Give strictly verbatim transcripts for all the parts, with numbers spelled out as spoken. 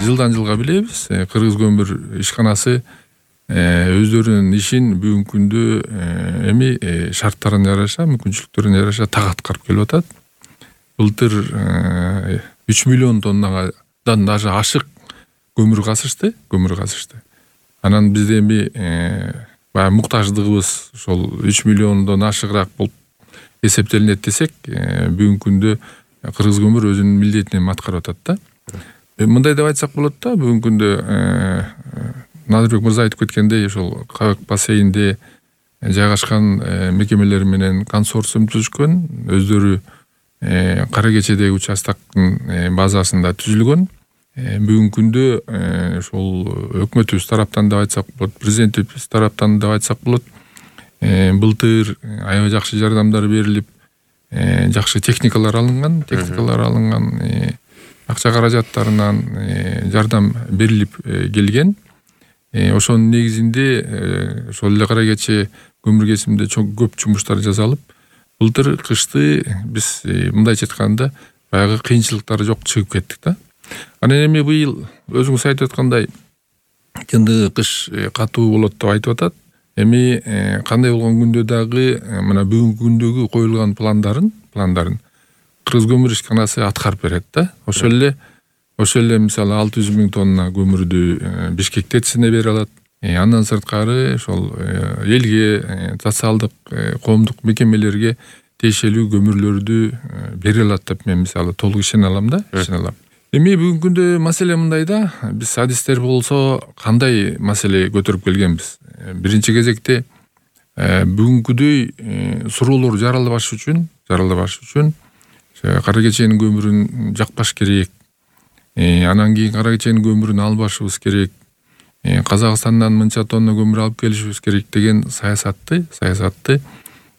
жылдан жылга билебиз, Кыргыз көмүр ишканасы өздөрүнүн ишин бүгүнкү күндө эми шарттарына жараша, мүмкүнчүлүктөрүнө жараша так аткарып келип атат. Былтыр үч миллион тоннадан даже ашык көмүр казышты, көмүр казышты. Анан бизде эми баягы муктаждыгыбыз ошол үч миллиондон ашыгыраак болуп эсептелинет десек, бүгүнкү күндө Кыргыз көмүр өзүнүн милдетин аткарып атат да. Мындай деп айтсак болот да, бүгүнкү күндө Назырбек мырза айтып кеткендей, ошол Кабек бассейнинде жайгашкан мекемелер менен консорциум түзүшкөн, өздөрү Кара Кечедеги участоктун базасында түзүлгөн. Бүгүнкү күндө ошол өкмөтүбүз тараптан деп айтсак болот, президентибиз тараптан деп айтсак болот, былтыр аябай жакшы жардамдар берилип, жакшы техникалар алынган, техникалар алынган, акча каражаттарынан жардам берилип келген. Ошонун негизинде ошол эле Кара Кече көмүр кесиминде чоң көп жумуштар жасалып, былтыр кышты биз мындайча айтканда баягы кыйынчылыктар жок чыгып кеттик да. Анан эми быйыл өзүңүз айтып аткандай кынды кыш катуу болот деп айтып атат. Эми кандай болгон күндө дагы мына бүгүнкү күндөгү коюлган пландарын, пландарын Кыргыз көмүр ишканасы аткарып берет да. Ошол эле ошол эле мисалы алты жүз миң тонна көмүрдү Бишкек ТЭЦине бере алат. Андан сырткары ошол элге, социалдык, коомдук мекемелерге тиешелүү көмүрлөрдү бере алат деп мен мисалы толук ишене алам да, ишене алам. Эми бүгүнкү күндө маселе мындай да, биз адистер болсо кандай маселе көтөрүп келгенбиз? Биринчи кезекте бүгүнкүдөй суроолор жаралбаш үчүн, жаралбаш үчүн Кара Кеченин көмүрүн жакпаш керек. Анан кийин Кара Кеченин көмүрүн албашыбыз керек. Казакстандан мынча тонна көмүр алып келишибиз керек деген саясатты, саясатты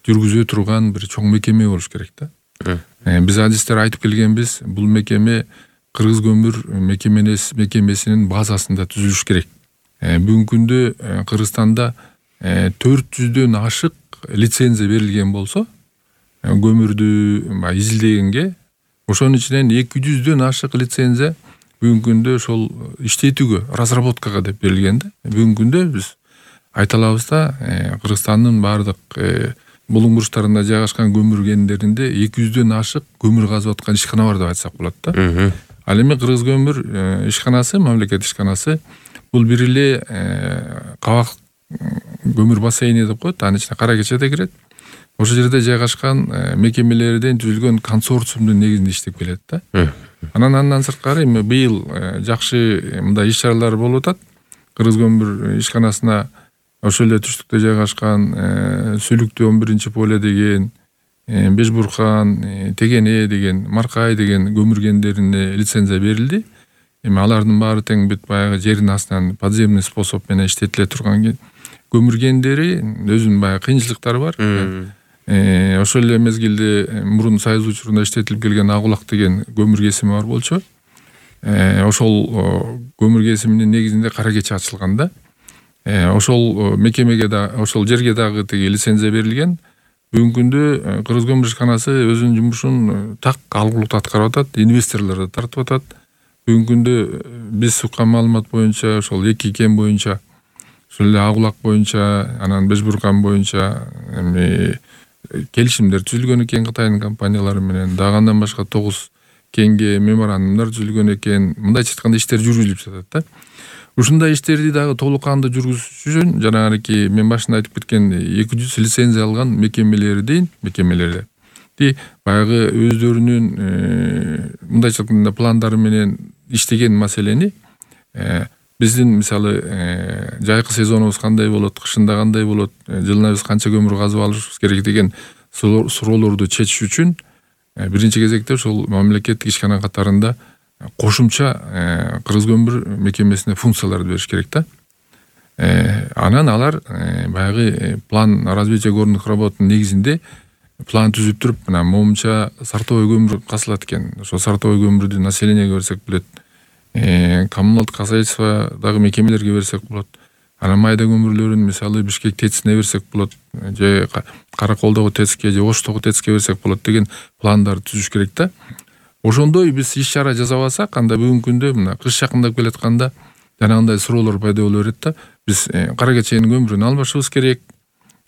жүргүзө турган бир чоң мекеме болуш керек да. Биз адистер айтып келгенбиз, бул мекеме Кыргыз көмүр мекемесинин базасында түзүлүш керек. Бүгүнкү күндө Кыргызстанда төрт жүздөн ашык лицензия берилген болсо, көмүрдү изилдегенге, ошонун ичинен эки жүздөн ашык лицензия бүгүнкү күндө ошол иштетүүгө, разработкага деп берилген да. Бүгүнкү күндө биз айта алабыз да, Кыргызстандын баардык булуң бурчтарында жайгашкан көмүр кендеринде эки жүздөн ашык көмүр казып аткан ишкана бар деп айтсак болот да. Ал эми Кыргыз көмүр ишканасы, мамлекет ишканасы бул бир эле Кабак көмүр бассейни деп коет, анын ичине Кара Кече да кирет. Ошол жерде жайгашкан мекемелерден түзүлгөн консорциумдун негизинде иштеп келет да. Анан андан сырткары эми быйыл жакшы мындай иш чаралар болуп атат. Кыргыз көмүр ишканасына ошол эле түштүктө жайгашкан Сүлүктүү он биринчи поле деген, Бешбуркан, Тегене деген, Маркай деген көмүр кендерине лицензия берилди. Эми алардын баары тең бүт баягы жердин астынан подземный способ менен иштетиле турган көмүр кендери, өзүнүн баягы кыйынчылыктары бар. Ошол эле мезгилде мурун Союз учурунда иштетилип келген Агулак деген көмүр кесими бар болчу. Ошол көмүр кесиминин негизинде Кара Кече ачылган да. Ошол мекемеге да, ошол жерге дагы теги лицензия берилген. Бүгүнкү күндө Кыргыз көмүр ишканасы өзүнүн жумушун так алгылуу аткарып атат, инвесторлорду тартып атат. Бүгүнкү күндө биз уккан маалымат боюнча ошол эки кен боюнча, ошол эле Агулак боюнча, анан Бешбуркан боюнча эми келишимдер түзүлгөн экен Кытайдын компаниялары менен. Дагы андан башка тогуз кенге меморандумдар түзүлгөн экен. Мындайча айтканда иштер жүргүзүлүп жатат да. Ушундай иштерди дагы толук кандуу жүргүзүш үчүн жанагы мен башында айтып кеткен эки жүз лицензия алган мекемелердин мекемелерди баягы өздөрүнүн мындайча айтканда пландары менен иштеген маселени биздин мисалы жайкы сезонубуз кандай болот, кышында кандай болот, жылына биз канча көмүр казып алышыбыз керек деген суроолорду чечиш үчүн биринчи кезекте ошол мамлекеттик ишкана катарында кошумча Кыргыз көмүр мекемесине функцияларды бериш керек да. Анан алар баягы план развития горных работ негизинде план түзүп туруп, мына момунча сортовой көмүр казылат экен. Ошол сортовой көмүрдү населенияга берсек болот. Коммуналдык хозяйство дагы мекемелерге берсек болот. Анан майда көмүрлөрүн мисалы Бишкек ТЭЦине берсек болот, же Караколдогу ТЭЦке, же Оштогу ТЭЦке берсек болот деген пландарды түзүш керек да. Ошондой биз иш чара жасап алсак, анда бүгүнкү күндө мына кыш жакындап келатканда жанагындай суроолор пайда боло берет да. Биз кара кеченин көмүрүн албашыбыз керек,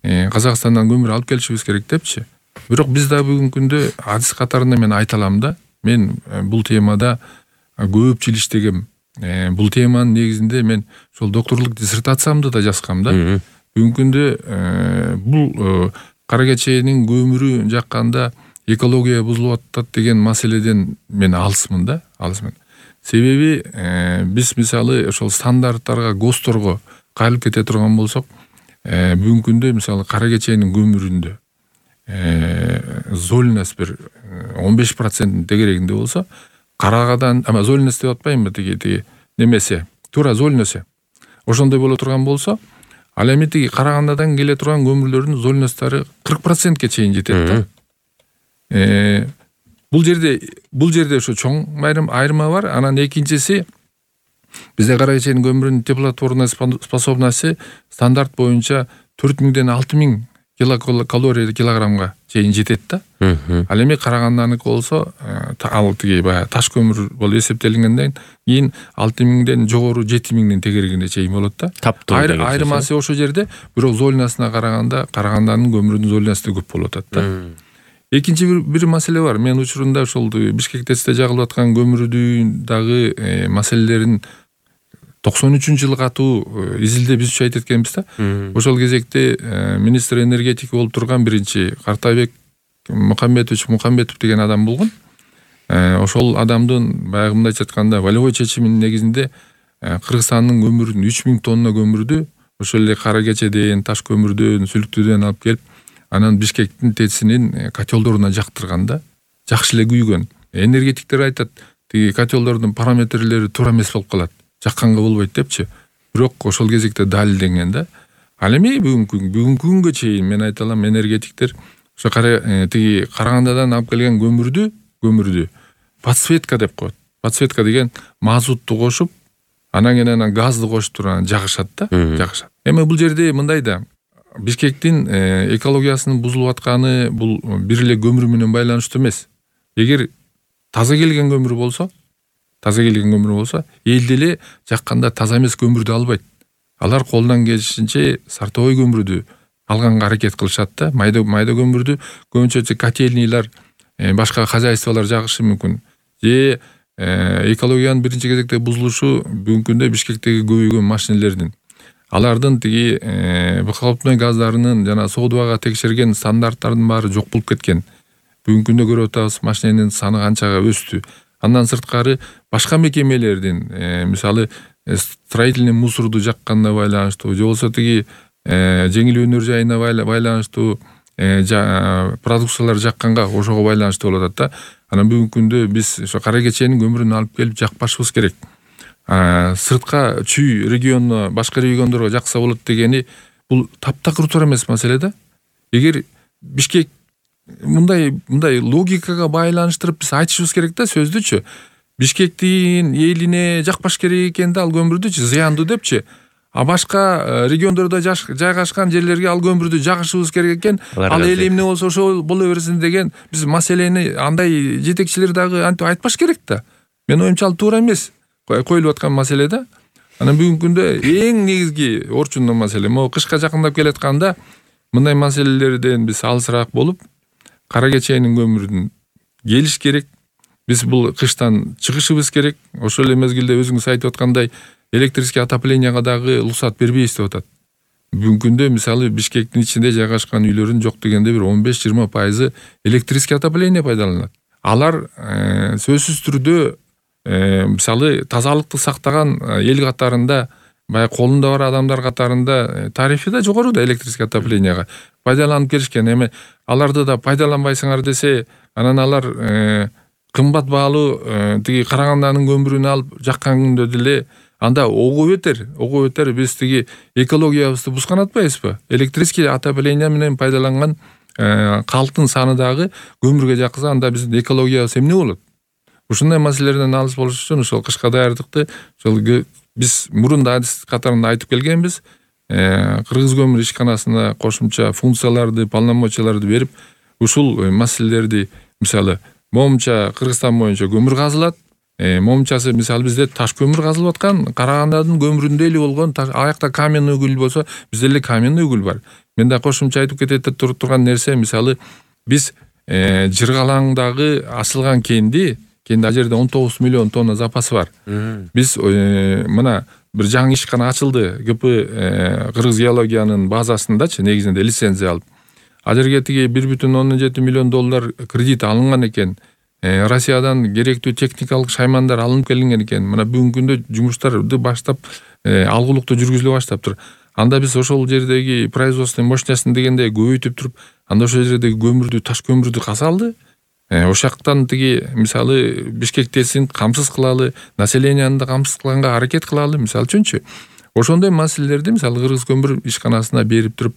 Казакстандан көмүр алып келишибиз керек депчи. Бирок биз да бүгүнкү күндө адис катарында мен айта алам да. Мен бул темада көп жыл иштегем. Бул теманын негизинде мен ошол докторлук диссертациямды да жазгам да. Бүгүнкү күндө бул кара кеченин көмүрү жакканда экология бузулуп атат деген маселеден мен алысмын да, алысмын. Себеби биз мисалы ошол стандарттарга, ГОСТторго кайрылып кете турган болсок, бүгүнкү күндө мисалы кара кеченин көмүрүндө зольность бир он беш процент тегерегинде болсо, карагадан, ама зольность деп атпайынбы, тиги тиги немесе, туура зольность. Ошондой боло турган болсо, ал эми тиги Карагандадан келе турган көмүрлөрдүн зольносттары кырк процентке чейин жетет да. Э бул жерде бул жерде ошо чоң айырма бар. Анан экинчиси, бизде кара кеченин көмүрүнүн теплотворный способности стандарт боюнча төрт миңден алты миң килокалория килограммга чейин жетет да. Ал эми Караганданыкы болсо, ал тиги баягы таш көмүр болуп эсептелгенден кийин алты миңден жогору жети миңдин тегерегине чейин болот да. Айырмасы ошол жерде, бирок зольностуна караганда Караганданын көмүрүнүн зольности көп болуп атат да. Экинчи бир, бир маселе бар. Мен учурунда ошол Бишкек ТЭЦте жагылып аткан көмүрдүн дагы маселелерин токсон үчүнчү жылы катуу изилдеп изучать эткенбиз да. Ошол кезекте министр энергетика болуп турган биринчи Картайбек Мукамбетович Мукамбетов деген адам болгон. Ошол адамдын баягы мындайча айтканда волевой чечиминин негизинде Кыргызстандын көмүрүн үч миң тонна көмүрдү ошол эле кара кечеден, таш көмүрдөн, сүлүктүдөн алып келип, анан Бишкектин ТЭЦинин котелдоруна жактырган да. Жакшы эле күйгөн. Энергетиктер айтат, тиги котелдордун параметрлери туура эмес болуп калат. Жакканга болбойт депчи. Бирок ошол кезекте далилденген да. Ал эми бүгүнкү бүгүнкү күнгө чейин мен айта алам, энергетиктер ошо кара тиги Карагандадан алып келген көмүрдү, көмүрдү подсветка деп коет. Подсветка деген мазутту кошуп, анан кийин анан газды кошуп туруп жагышат да, жагышат. Эми бул жерде мындай да, Бишкектин экологиясынын бузулуп атканы бул бир эле көмүр менен байланыштуу эмес. Эгер таза келген көмүр болсо, таза келген көмүр болсо, эл деле жакканда таза эмес көмүрдү албайт. Алар колунан келишинче сортовой көмүрдү алганга аракет кылышат да. Майда майда көмүрдү көбүнчө котельнийлар, башка хозяйстволор жагышы мүмкүн. Же экологиянын биринчи кезекте бузулушу бүгүнкү күндө Бишкектеги көбөйгөн машинелердин, алардын тиги выхлопной газдарынын жана соодубага текшерген стандарттардын баары жок болуп кеткен. Бүгүнкү күндө көрүп атабыз, машиненин саны канчага өстү. Андан сырткары башка мекемелердин, мисалы строительный мусорду жакканына байланыштуу, же болбосо тиги жеңил өнөр жайына байланыштуу продукциялар жакканга ошого байланыштуу болуп атат да. Анан бүгүнкү күндө биз ошо кара кеченин көмүрүн алып келип жакпашыбыз керек. Сыртка чүй регионуна, башка региондорго жакса болот дегени бул таптакыр туура эмес маселе да. Эгер Бишкек мындай мындай логикага байланыштырып биз айтышыбыз керек да, сөздүчү. Бишкектин элине жакпаш керек экен да ал көмүрдүчү, зыяндуу депчи. А башка региондордо жайгашкан жерлерге ал көмүрдү жагышыбыз керек экен. Ал эл эмне болсо ошол боло берсин деген биз маселени андай жетекчилер дагы антип айтпаш керек да. Мен оюмча ал туура эмес коюлуп аткан маселе да. Анан бүгүнкү күндө эң негизги орчундуу маселе могу кышка жакындап келатканда мындай маселелерден биз алысыраак болуп, кара кеченин көмүрүн келиш керек. Биз бул кыштан чыгышыбыз керек. Ошол эле мезгилде өзүңүз айтып аткандай электрический отопленияга дагы уруксат бербейбиз деп атат. Бүгүнкү күндө мисалы Бишкектин ичинде жайгашкан үйлөрдүн жок дегенде бир он беш жыйырма пайызы электрический отопление пайдаланат. Алар сөзсүз түрдө мисалы тазалыкты сактаган эл катарында, баягы колунда бар адамдар катарында тарифи да жогору да электрический отопленияга пайдаланып келишкен. Эми аларды да пайдаланбайсыңар десе, анан алар кымбат баалуу тиги Караганданын көмүрүн алып жаккан күндө деле анда ого бетер, ого бетер биз тиги экологиябызды бузган атпайбызбы? Электрический отопление менен пайдаланган калктын саны дагы көмүргө жакса, анда биздин экологиябыз эмне болот? Ушундай маселелерден алыс болуш үчүн ошол кышка даярдыкты ошол биз мурун да адис катарында айтып келгенбиз. Кыргыз көмүр ишканасына кошумча функцияларды, полномочияларды берип, ушул маселелерди мисалы Момунча Кыргызстан боюнча көмүр казылат. Момунчасы мисалы бизде таш көмүр казылып аткан, Карагандадын көмүрүндө эле болгон аякта каменный уголь болсо, бизде эле каменный уголь бар. Мен да кошумча айтып кетет турган нерсе, мисалы биз Жыргалаңдагы асылган кенди, кенди ал жерде он тогуз миллион тонна запасы бар. Биз мына бир жаңы ишкана ачылды, ГП Кыргыз геологиянын базасындачы, негизинде лицензия алып. Ал жерге тиги бир бүтүн ондон жети миллион доллар кредит алынган экен. Россиядан керектүү техникалык шаймандар алынып келинген экен. Мына бүгүнкү күндө жумуштарды баштап алгылыктуу жүргүзүлө баштаптыр. Анда биз ошол жердеги производственный мощностун дегенде көбөйтүп туруп, анда ошол жердеги көмүрдү, таш көмүрдү казалды. Ошол жактан тиги мисалы Бишкек ТЭСин камсыз кылалы, населенияны да камсыз кылганга аракет кылалы, мисалы үчүнчү. Ошондой маселелерди мисалы Кыргыз көмүр ишканасына берип туруп,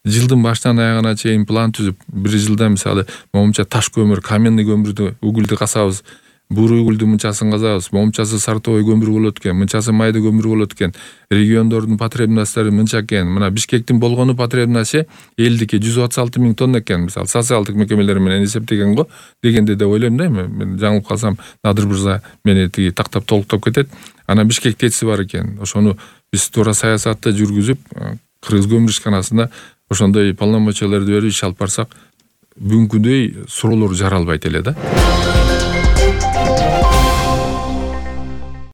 жылдын башынан аягына чейин план түзүп, бир жылда мисалы момунча таш көмүр, каменный көмүрдү, угульду касабыз, буруу угульду мынчасын казабыз, момунчасы сортовой көмүр болот экен, мынчасы майда көмүр болот экен, региондордун потребносттору мынча экен. Мына Бишкектин болгону потребности элдики жүз отуз алты миң тонна экен, мисалы социалдык мекемелер менен эсептеген го дегенде деп ойлойм да. Мен жаңылып калсам Надыр мырза мени тиги тактап толуктап кетет. Анан Бишкек ТЭСи бар экен. Ошону биз туура саясатты жүргүзүп, Кыргыз көмүр ишканасына ошондой полномочияларды берип иш алып барсак, бүгүнкүдөй суроолор жаралбайт эле да.